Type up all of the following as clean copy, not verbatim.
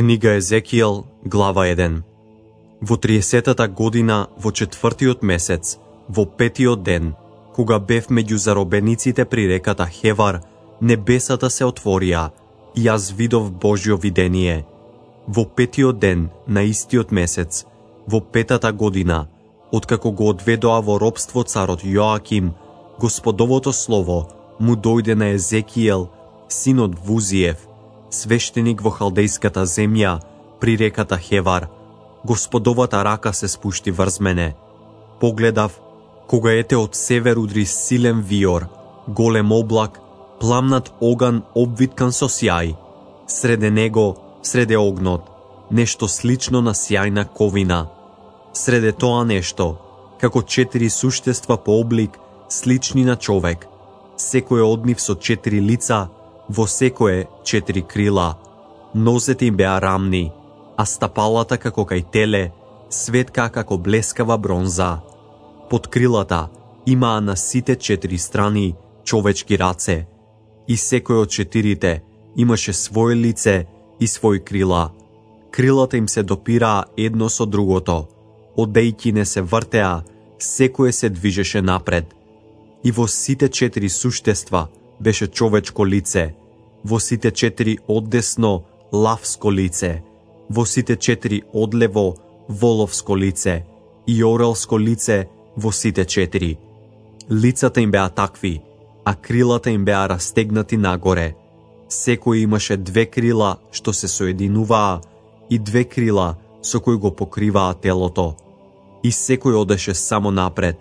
Книга Езекијел, глава 1. Во 30-та година, во 4-тиот месец, во 5-тиот ден, кога бев меѓу заробениците при реката Хевар, небесата се отворија и јас видов Божјо видение. Во 5-тиот ден на истиот месец, во 5-та година, откако го одведоа во робство царот Јоаким, Господовото слово му дојде на Езекијел, синот Вузиев, свештеник во халдејската земја, при реката Хевар. Господовата рака се спушти врз мене. Погледав, кога ете од север удри силен виор, голем облак, пламнат оган обвиткан со сјај. Среде него, среде огнот, нешто слично на сјајна ковина. Среде тоа нешто, како 4 суштества по облик, слични на човек, секој од нив со 4 лица, во секое 4 крила. Нозете им беа рамни, а стапалата како кај теле, светка како блескава бронза. Под крилата имаа на сите 4 страни човечки раце, и секој од 4 имаше своје лице и свој крила. Крилата им се допираа едно со другото, одејќи не се вртеа, секое се движеше напред. И во сите 4 суштества беше човечко лице, во сите 4 оддесно лавско лице, во сите 4 одлево воловско лице и орелско лице во сите 4. Лицата им беа такви, а крилата им беа растегнати нагоре. Секој имаше 2 крила што се соединуваа и 2 крила со кои го покриваа телото. И секој одеше само напред,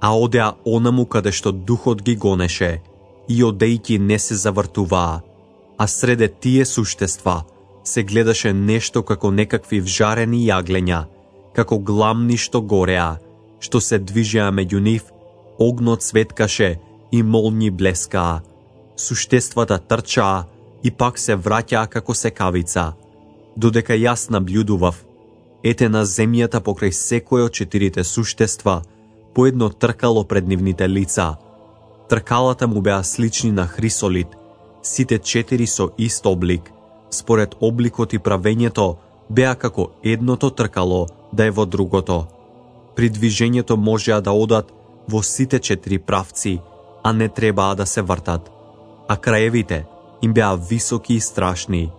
а одеа онаму каде што духот ги гонеше, и одејки не се завртуваа. А среде тие суштества се гледаше нешто како некакви вжарени јаглења, како гламни што гореа, што се движеа меѓу нив, огнот светкаше и молњи блескаа. Суштествата трчаа и пак се враќаа како секавица. Додека јас наблюдував, ете на земјата покрај секој од 4 суштества, по едно тркало пред нивните лица. Тркалата му беа слични на хрисолит, сите 4 со ист облик. Според обликот и правењето беа како едното тркало да е во другото. При движењето можеа да одат во сите 4 правци, а не требаа да се вртат. А краевите им беа високи и страшни,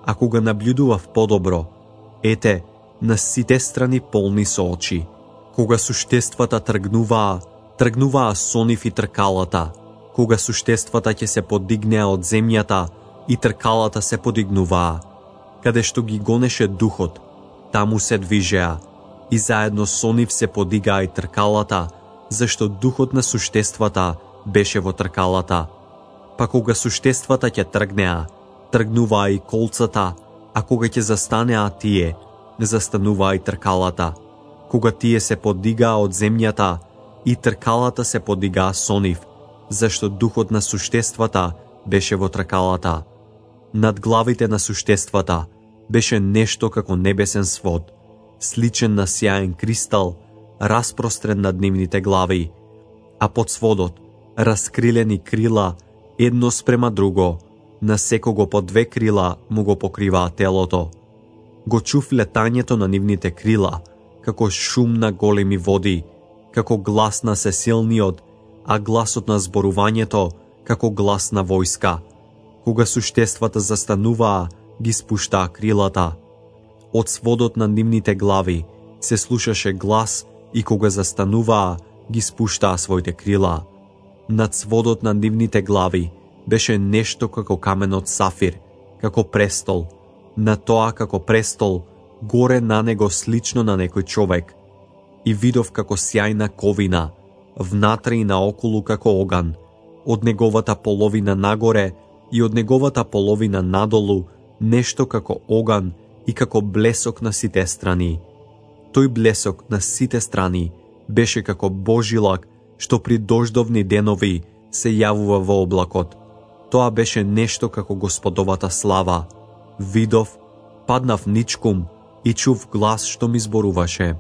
а кога наблюдував подобро, ете, на сите страни полни со очи. Кога суштествата тргнуваа со нив и тркалата. Кога суштествата ќе се подигнеа од земјата и тркалата се подигнуваа. Каде што ги гонеше духот, таму се движеа, и заедно со нив се подигаа и тркалата, зашто духот на суштествата беше во тркалата. Па кога суштествата ќе тргнеа, тргнуваа и колцата, а кога ќе застанеа тие, застануваа и тркалата. Кога тие се подигаа од земјата, и тркалата се подигаа со нив, зашто духот на суштествата беше во тркалата. Над главите на суштествата беше нешто како небесен свод, сличен на сјаен кристал, распрострен над нивните глави, а под сводот раскрилени крила едно спрема друго, на секого по 2 крила му го покриваа телото. Го чув летањето на нивните крила, како шум на големи води, како глас на сесилниот, а гласот на зборувањето како глас на војска. Кога суштествата застануваа, ги спуштаа крилата. Од сводот на нивните глави се слушаше глас и кога застануваа, ги спуштаа своите крила. Над сводот на нивните глави беше нешто како каменот сафир, како престол. На тоа како престол, горе на него слично на некој човек. И видов како сјајна ковина, внатре и наоколу како оган, од неговата половина нагоре и од неговата половина надолу, нешто како оган и како блесок на сите страни. Тој блесок на сите страни беше како божилак, што при дождовни денови се јавува во облакот. Тоа беше нешто како Господовата слава. Видов, паднав ничкум и чув глас што ми зборуваше.